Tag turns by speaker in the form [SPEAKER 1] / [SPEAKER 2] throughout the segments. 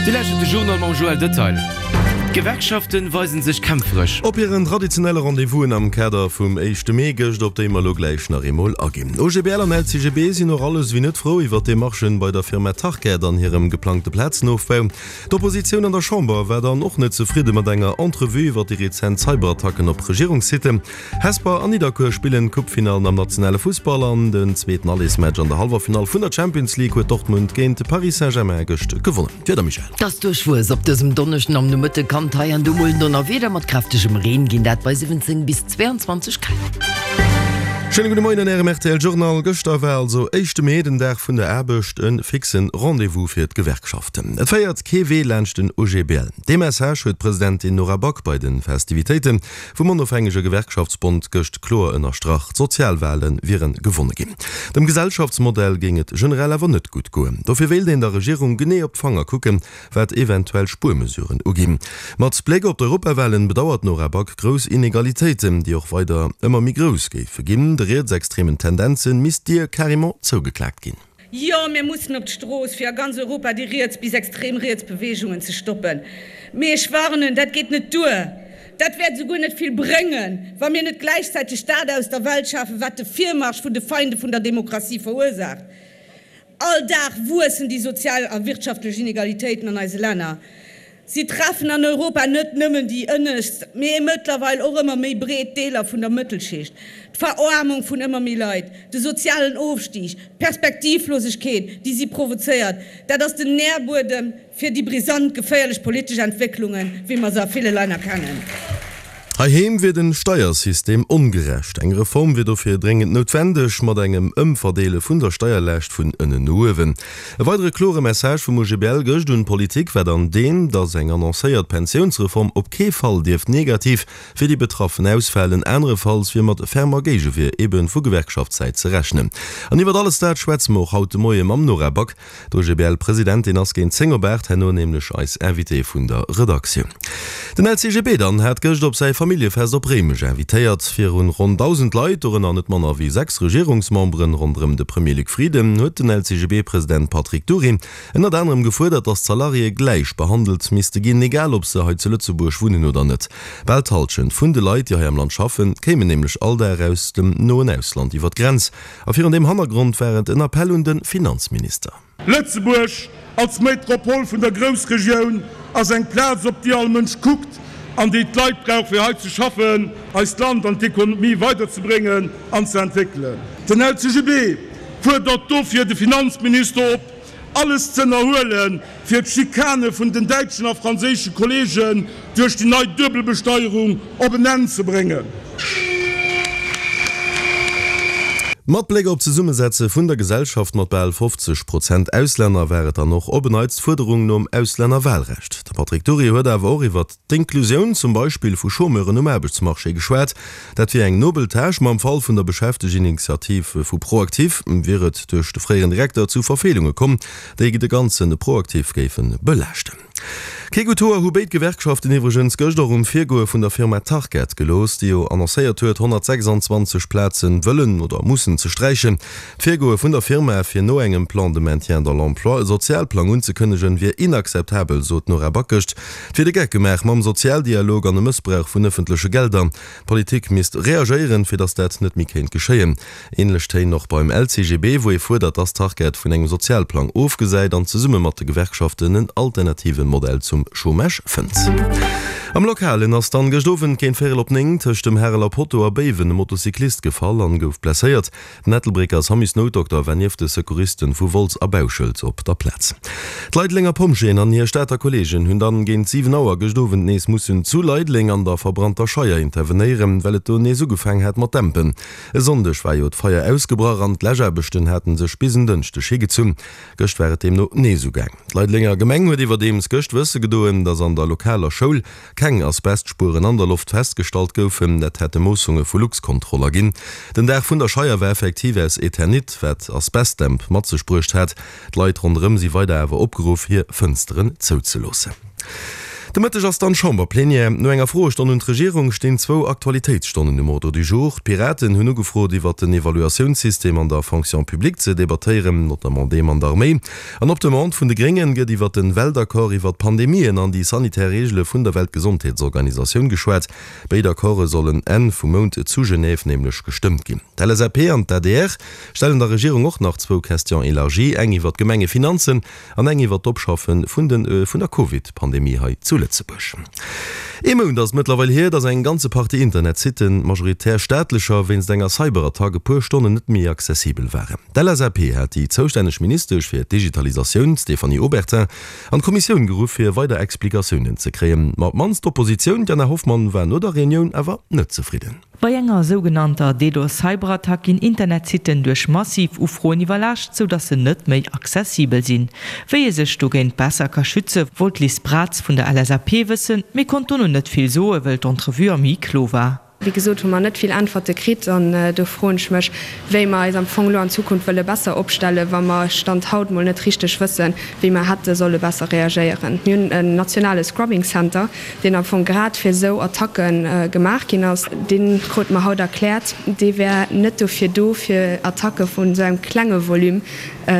[SPEAKER 1] Dir lauschtert de Journal mam Joël Detail. D'Gewerkschaften weisen sech kämpferesch.
[SPEAKER 2] Op hiren traditionelle Rendez-vousen am Kader vum éischte Mee gëscht, op déi mer elo gläich nach eemol aginn. OGBL an LCGB sinn och alles ewéi net frou iwwer d'Demarchen bei der Firma Tarkett an hirem geplangte Plazenofbau. D'Oppositioun an der Chamber war dann och net zefridde mat enger Entrevue iwwer déi rezent Cyberattacken op Regierungssitten. Hesper an Nidderkuer spillen d'Coupefinallen am nationale Fussball an den zweeten Allesmatch an der Hallwerfinall vun der Champions League huet Dortmund géint Paris Saint-Germain gëscht gewonnen. D'Wieder, Michèle?
[SPEAKER 3] Et ass duerchwuess op dësem Donneschden am Nomëtte kann et hei an do mol en Donnerwieder mat kräftegem Reen ginn, dat bei 17 bis 22 Grad.
[SPEAKER 2] Schéine gudde Moien an Ärem rtl Journal. Gëschter war also éischte Mee, den Dag vun der Aarbecht, e fixe Rendez-vous fir d'Gewerkschaften. Et féiert kee Wee laanscht den OGBL. Dee Message huet d'Presidentin Nora Back bei de Festivitéite vum onofhängege Gewerkschaftsbond gëscht kloer ënnerstrach, D'Sozialwale wiere gewonne ginn. Dem Gesellschaftsmodell géing et generell awer net gutt goen. Dofir wéilt een der Regierung genee op d'Fanger kucken, wat eventuell Spuermesuren uginn. Mat Bléck op d'Europawalen bedauert d'Nora Back grouss Inegalitéiten, déi och weider ëmmer méi grouss géife ginn. De rietsextremen Tendenze misst d'Dier carrément zougeklaakt ginn.
[SPEAKER 4] Jo, mir mussen op d'Strooss, fir a ganz Europa déi riets bis extrem riets Beweegungen ze stoppen. Mee ech warnen, dat geet net duer. Dat wäert esouguer net vill bréngen, wa mir net gläichzäiteg dat aus der Welt schafen, wat de Virmarsch vun de Feinde vun der Demokratie verursaacht. All Dag wuessen déi sozial a wirtschaftlech Inegalitéiten an eise Länner. Si treffen an Europa net nëmmen déi ënnescht, mee mëttlerweil och ëmmer méi breet Deeler vun der Mëttelschicht. D'Veroarmung vun ëmmer méi Leit, de sozialen Ofstig, d'Perspektivlosegkeet, déi si provozéiert, dat ass den Nährbuedem fir déi brisant, geféierlech politesch Entwécklungen, wéi mer se a ville Länner kennen.
[SPEAKER 2] Heiheem wier den Steiersystem ongerecht. Eng Reform wier dofir dréngend noutwendeg, mat engem Ëmverdeele vun der Steierlaascht vun ënnen no uewen. E weidere klore Message vum OGBL gëscht un d'Politik war dann deen, datt eng annoncéiert Pensiounsreform op kee Fall dierft negativ fir déi Betraffen ausfalen. Anerefalls wier mat fermer Géigewier ebe vu Gewerkschaftssäit ze rechnen. An iwwert alles dat schwätze mer och haut de Moie mam Nora Back. D'OGBL-Presidentin ass géint 10 op 8 herno nämlech eis Invitée vun der Redaktioun. Den LCGB dann hat gëscht op säi Familljefest op Réimech invitéiert. Virun ronn 1.000 Leit, dorënner net manner wéi 6 Regierungsmemberen ronderëm de Premier Luc Frieden, huet den LCGB-President Patrick Dury ënnert anerem gefuerdert, datt d'Salariéë gläich behandelt misste ginn, egal ob se hei zu Lëtzebuerg wunnen oder net. Bal d'Hallschent vun de Leit, déi hei am Land schaffen, kéimen nämlech all Dag aus dem noen Ausland iwwer d'Grenz. A virun deem Hannergrond war et en Appell un de Finanzminister.
[SPEAKER 5] Lëtzebuerg als Metropol vun der Groussregioun ass eng Plaz, op déi all Mënsch kuckt an déi d'Leit brauch, fir hei ze schaffen, eist Land an d'Ekonomie weiderzebréngen an ze entwéckelen. Den LCGB fuerdert dofir de Finanzminister op, alles ze ënnerhuelen, fir d'Schikane vun den däitschen a franséische Kolleegen duerch déi nei Duebelbesteierung op en Enn ze bréngen.
[SPEAKER 2] Mat Bléck op d'Zesummesetze vun der Gesellschaft mat bal 50 Prozent Auslänner war et dann och op en Neits d'Fuerderung nom Auslännerwahlrecht. De Patrick Dury huet awer och iwwert d'Inklusioun zum Beispill vu Chômeuren um Aarbechtsmarché geschwat. Dat wier eng nobel Tâche, ma am Fall vun der Beschäfteginitiativ vu ProActif wier et duerch de fréieren Direkter zu Verfeelunge komm, déi de ganze ProActif géife belaaschten. Kee gutt Hoer hu béid Gewerkschaften iwwregens gëscht och um Virgoe vun der Firma Tarkett gelooss, déi jo annoncéiert huet, 126 Plaze wëllen oder mussen ze sträichen. D'Virgoe vun der Firma, fir no engem Plan de maintien dans l'emploi e Sozialplang unzekënnegen, wier inakzeptabel, sot d'Nora Back gëscht. Et wier de Geck gemaach mam Sozialdialog an e Mëssbrauch vun ëffentleche Gelder. D'Politik misst reagéieren, fir datt dat net méi kéint geschéien. Änlech Téin och beim LCGB, wou ee fuerdert, datt d'Tarkett vun engem Sozialplang ofgesäit an zesumme mat de Gewerkschaften en alternative Modell zum Chômage fënnt. Am Lokalen ass dann gëscht Owend géint véierel op 9 tëscht dem Hareler Potto a Béiwen e Motocyclist gefall an gouf blesséiert. Den Ettelbrécker Samusnoutdokter war nieft de Secouristen vu Wolz a Bauschelt op der Plaz. D'Leidelenger Pompjeeën an hir Stater Kolleegen hunn dann géint 7 Auer gëscht Owend nees mussen zu Leideleng an der verbrannter Scheier intervenéieren, well et do nees ugefaang hat mat dämpen. E Sonndeg war jo d'Feier ausgebrach an d'Läschaarbechten haten sech bis en Dënschdeg higezunn. Gëscht war et deemno nees ugaang. D'Leidelenger Gemeng huet iwwerdeems gëscht wësse gedoen, datt an der lokaler Schoul keng Asbestspueren an der Loft festgestallt goufen. Dat hätte Moossunge vu Luxcontrol erginn. Den Daach vun der Scheier war effektiv aus Eternit, wat Asbestdämp mat sech bruecht hat. D'Leit ronderëm si weider awer opgeruff, hir Fënsteren zouzeloossen. De Mëtteg ass dann d'Chamberplenière. No enger Froestonn un d'Regierung stinn zwou Aktualitéitsstonnen um Ordre du jour. D'Piraten hunn ugefrot iwwert den Evaluatiounssystem an der Fonction publique ze debattéieren, notamment deem an der Arméi. An op Demande vun de Gréngen gëtt iwwert den Weltaccord iwwert d'Pandemien an déi sanitär Reegele vun der Weltgesondheetsorganisatioun geschwat. Béid Accorde sollen Enn vum Mount zu Genève nämlech gestëmmt ginn. D'LSAP an d'ADR stellen der Regierung och nach zwou Questions élargies, eng iwwert d'Gemengefinanzen An eng iwwer d'Opschaffe vun de vun der Covid-Pandemie hei zu Lëtzebuerg. Ee Mount ass et mëttlerweil hier, datt eng ganze Partie Internetsitten, majoritär staatlecher, wéinst enger Cyberattack e puer Stonnen net méi accessibel waren. D'LSAP hat déi zoustänneg Ministesch fir d'Digitalisatioun, d'Stéphanie Obertin, an d'Kommissioun geruff, fir weider Explikatiounen ze kréien. Ma op d'mannst d'Oppositioun, d'Jana Hoffmann, war no der Reunioun awer net zefridden.
[SPEAKER 6] Bei enger sougenannter DDoS-Cyberattack ginn Internetsitten duerch massiv Ufroen iwwerlaascht, sou dass se net méi accessibel sinn. Wéi ee sech dogéint besser ka schütze wollt d'Liz Braz vun der LSAP wëssen, mee konnt dono net vill soe wëll d'Entrevue am Huis clos war.
[SPEAKER 7] Wéi gesot hu mer net vill Äntwerte kritt an do froen ech mech, wéi mer eis am Fong elo an Zukunft wëlle besser opstellen, wa mer Stand haut mol net richteg wëssen, wéi mer hätte solle besser reagéieren. Mir hunn en nationale Scrubbing Center, deen am Fong grad fir esou Attacke gemaach ginn ass, dee krute mer haut erkläert, dee wär net dofir do, fir Attacke vun esou engem klenge Volume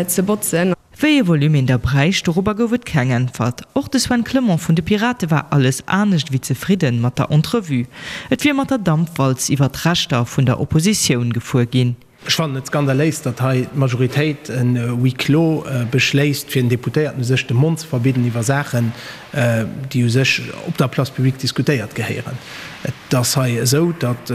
[SPEAKER 7] ze botzen.
[SPEAKER 6] Wéi ee Volume een da bräicht, dorobber gouf et keng Äntwert. Och de Sven Clement vun de Pirate war alles anescht ewéi zefridden mat der Entrevue. Et wier mat der Dampwalz iwwer d'Rechter vun der Oppositioun gefuer ginn.
[SPEAKER 8] Ech fannen et skandaléis, datt hei d'Majoritéit en Huis clos beschléisst, fir den Deputéierten u sech de Mond ze verbidden iwwer Saachen, déi u sech op der Place publique diskutéiert gehéieren. Et ass hei esou, datt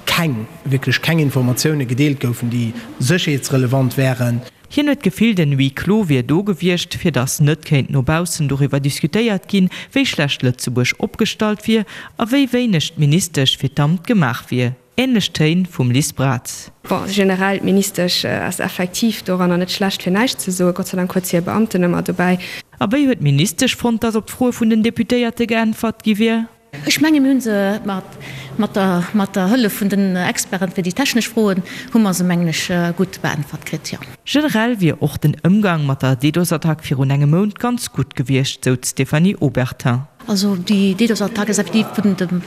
[SPEAKER 8] keng, wierklech keng Informatioune gedeelt goufen, déi sécherheetsrelevant wären.
[SPEAKER 6] Hien huet d'Gefill, den Huis clos wier do gewiescht, fir datt net kéint no baussen doriwwer diskutéiert ginn, wéi schlecht Lëtzebuerg opgestallt wier a wéi wéineg d'Ministesch fir d'Amt gemaach wier. Ähnlech Téin vum Liz Braz.
[SPEAKER 7] Bon, generell, d'Ministesch ass effektiv doranner net schlecht fir näischt ze soen. Gott sei Dank huet se hir Beamten ëmmer dobäi.
[SPEAKER 6] A wéi huet d'Ministesch fonnt, datt op d'Froe vun den Deputéierte geäntwert gi wier?
[SPEAKER 9] Ech menge mir hu se mat der mat der Hëllef vun den Experten fir déi technesch Froen hu mer se mengen ech gutt beäntwert kritt, jo.
[SPEAKER 6] Generell wier och den Ëmgang mat der DDoS-Attack virun engem Mount ganz gutt gewiescht, sou d'Stéphanie Obertin.
[SPEAKER 9] Also déi DDoS-Attack ass effektiv vun dem,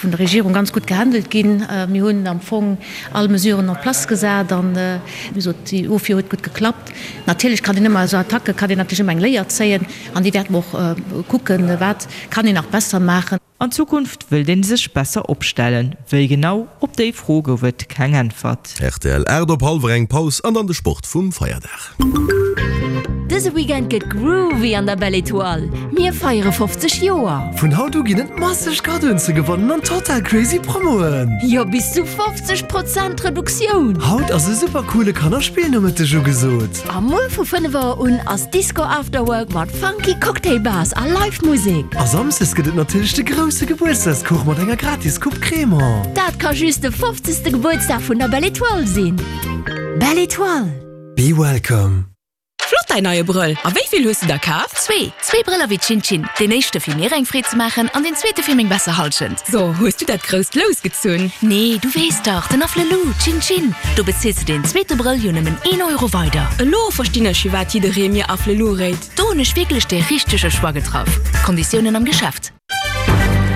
[SPEAKER 9] vun der Regierung ganz gutt gehandelt ginn. Mir hunn am Fong all Mesuren en place gesat an, wéi gesot, déi Ofwier huet gutt geklappt. Natierlech kann een ëmmer, esou Attacke kann een natierlech ëmmer eng Léier zéien an déi wäerte mer och kucken, wat kann een nach besser maachen.
[SPEAKER 6] An Zukunft wëllt een sech besser opstellen. Wéi genau? Op déi Fro gouf et keng Äntwert.
[SPEAKER 2] Rtl 8 op hallwer eng Paus an dann de Sport vum Feierdag.
[SPEAKER 10] Dëse Weekend gëtt groovy an der Belle Etoile. Mir feiere 50 Joer!
[SPEAKER 11] Vun haut u ginn et masseg Kaddoen ze gewannen an total crazy Promoen!
[SPEAKER 10] Jo, bis zu 50 Prozent Reduktioun!
[SPEAKER 11] Haut ass e super coole Kannerspillnomëtteg ugesot!
[SPEAKER 10] A muer vu 5 Auer un ass Disco After Work mat funky Cocktail Bars a Live Musek.
[SPEAKER 11] A Samsdes gëtt et natierlech de grousse Gebuertsdagskuch mat enger gratis Coupe Crémant.
[SPEAKER 10] Dat ka just de 50. Gebuertsdag vun der Belle Etoile sinn. Belle Etoile.
[SPEAKER 11] Be welcome.
[SPEAKER 12] Flott däin neie Brëll! A wéi vill hues de der kaf?
[SPEAKER 10] Zwee! Zwee Brëller wéi Chin Chin. Deen éischte fir mir eng Freed ze maachen an deen zweete fir meng besser Halschent.
[SPEAKER 12] So, hues du dat grousst Lous gezunn?
[SPEAKER 10] Nee, du weess dach, den Afflelou, Chin Chin, do bezils de deen zweete Brëll jo nëmmen een Euro weider.
[SPEAKER 12] Elo verstinn ech firwat jidderee mir Afflelou réit.
[SPEAKER 10] Do hunn ech wierklech dee richtege Choix getraff. Konditiounen am Geschäft.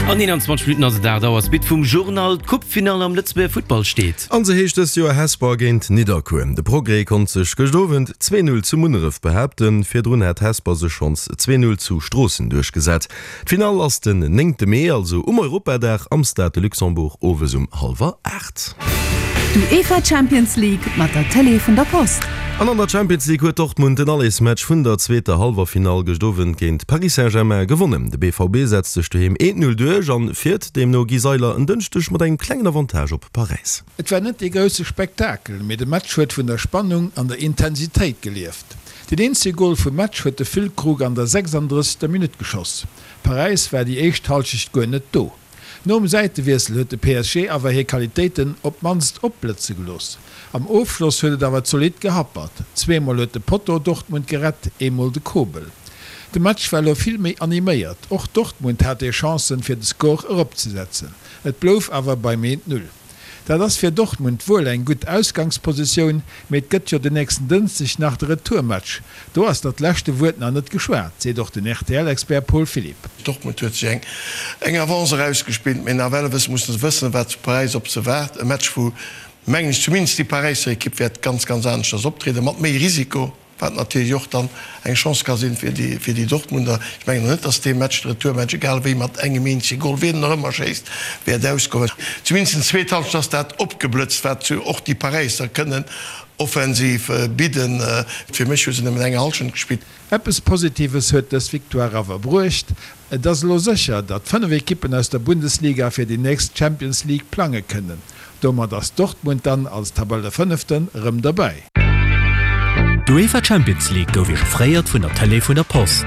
[SPEAKER 1] An 21 Minutten ass et 8 Auer. Suite vum Journal, D'Coupe-Finall am Lëtzebuerger Futtball steet.
[SPEAKER 2] An se heescht dëst Joer Hesper géint Nidderkuer. De Progrès konnt sech gëscht Owend 2, 0 zu Munneref behaapten. Virdrun hat Hesper sech schonns 2, 0 zu Stroossen duerchgesat. D'Finall ass den néngte Mee, also um Europadag am Stade de Luxembourg owes um hallwer 8.
[SPEAKER 13] D'UEFA Champions League mat der Tëlee vun der Post.
[SPEAKER 2] An an der Champions League huet Dortmund den Allersmatch vun der zweeter Hallwerfinall gëscht Owend géint Paris Saint-Germain gewonnen. De BVB setzt sech doheem 1, 0 duerch an fiert deemno Guy Seiler en Dënschdeg mat engem klengen Avantage op Paräis.
[SPEAKER 14] Et war net dee grousse Spektakel, mee de Match huet vun der Spannung an der Intensitéit gelieft. Deen eenzege Gol vum Match huet de Füllkrug an der 36. Minutt geschoss. Paräis war déi éischt Hallschecht guer net do. Nom Säitewiessel huet de PSG awer hir Qualitéiten op d'mannst opblëtze gelooss. Am Ofschloss huet et awer zolidd gehappert. Zweemol huet de Potto Dortmund gerett, eemol de Kobel. De Match war elo vill méi animéiert. Och Dortmund hat hir Chancen, fir de Score eropzesetzen. Et blouf awer beim 1, 0. Dat ass fir Dortmund wuel eng gutt Ausgangspositioun, mee et gëtt jo den nächsten Dënschdeg nach de Retourmatch. Do ass dat leschte Wuert nach net geschwat, seet och den RTL-Expert Paul Philipp.
[SPEAKER 15] Dortmund huet sech eng eng Avance erausgespillt, mee nawell wësse musse se wëssen, wat zu Paräis op se waart. E Match, wou, mengen ech, zumindest déi Paräisser Ekipp wäert ganz, ganz aneschters optrieden, mat méi Risiko. Wat natierlech och dann eng Chance ka sinn fir déi, fir déi Dortmunder. Ech mengen och net, datt dee Match, de Retourmatch, egal wéi mat engem eenzege Gol, wien en och ëmmer schéisst, wäert ausgoen. Zumindest en zweet Halschent ass dat opgeblëtzt, wat och déi Paräisser kënnen offensiv bidden. Fir mech hu se nëmmen eng Halschent gespillt.
[SPEAKER 14] Eppes Positives huet dës Victoire awer bruecht, Et ass elo sécher, datt 5 Ekippen aus der Bundesliga fir déi nächst Champions League plange kënnen. Domat ass Dortmund dann als Tabellefënneften erëm derbäi.
[SPEAKER 1] D'UEFA Champions League gouf Iech offréiert vun der Tëlee vun der Post.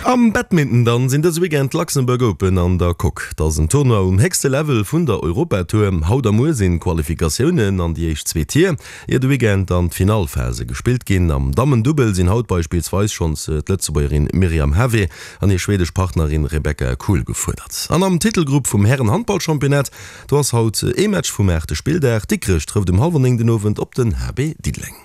[SPEAKER 2] Am Badminton dann sinn dëse Weekend d'Luxembourg Open an der Coque. Et ass en Tournoi um héchste Level vun der Europatour. Haut a muer sinn d'Qualifikatiounen an déi éischt zwee Tier, ier de Weekend dann d'Finallphase gespillt ginn. Am Dammendubbel sinn haut beispillsweis schonns d'Lëtzebuergerin Myriam Havé an hir schwedesch Partnerin Rebecca Kuhl gefuerdert. An am Titelgrupp vum Hären-Handballchampionnat Do ass haut ee Match vum aachte Spilldag. Dikrech trëfft um hallwer 9 den Owend op den HB Diddeleng.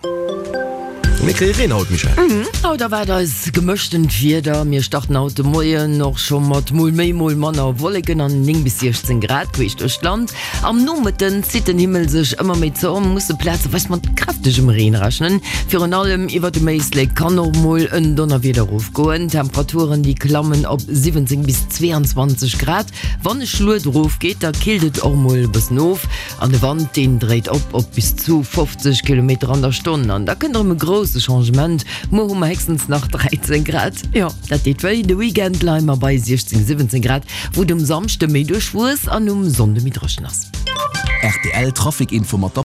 [SPEAKER 2] Mir kréie Reen haut, Michèle.
[SPEAKER 3] Haut erwaart eis gemëschtent Wieder. Mir starten haut de Moien och scho mat mol méi, mol manner Wolleken an 9 bis 16 Grad queesch duerch d'Land. Am Nomëtten zitt den Himmel sech ëmmer méi zou a musse plazeweis mat kräftegem Reen rechnen. Virun allem iwwert dem Éislek kann och mol en Donnerwieder erofgoen. D'Temperaturen, déi klammen op 17 bis 22 Grad. Wann e Schluet erof geet, da killt et och mol e bëssen of an de Wand deen dréit op op bis zu 50 Kilometer an der Stonn. An da kënnt erëm e grousse Changement, muer hu mer héchstens nach 13 Grad. Jo, dat deet wéi. De Weekend leie mer bei 16, 17 Grad, wou et um Samschde méi duerchwuess an um Sonnde méi dréchen ass.
[SPEAKER 16] Rtl Trafic Info mat der.